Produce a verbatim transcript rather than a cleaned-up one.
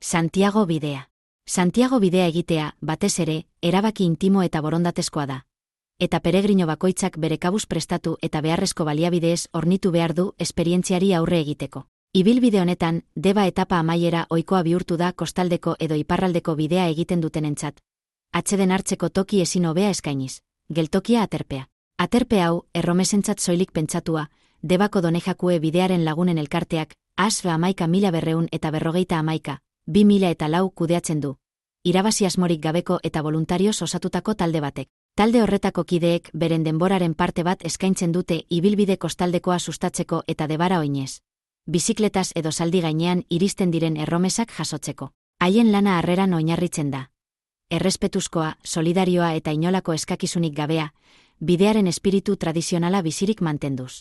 Santiago bidea. Santiago bidea egitea, batez ere, erabaki intimo eta borondatezkoa da. Eta peregrino bakoitzak bere kabuz prestatu eta beharrezko baliabideez hornitu behar du esperientziari aurre egiteko. Ibilbide honetan, deba etapa amaiera ohikoa bihurtu da kostaldeko edo iparraldeko bidea egiten dutenentzat. Atseden hartzeko toki ezin hobea eskainiz. Geltokia aterpea. Aterpe hau, erromesentzat soilik pentsatua, debako donejakue bidearen lagunen elkarteak, asbe amaika mila berreun eta berrogeita amaika, bi mila eta lau kudeatzen du. Irabazi asmorik gabeko eta voluntarioz osatutako talde batek. Talde horretako kideek beren denboraren parte bat eskaintzen dute ibilbide kostaldekoa sustatzeko eta debara oinez. Bizikletaz edo zaldi gainean iristen diren erromesak jasotzeko. Haien lana harreran oinarritzen da. Errespetuzkoa, solidarioa eta inolako eskakizunik gabea, bidearen espiritu tradizionala bizirik mantenduz.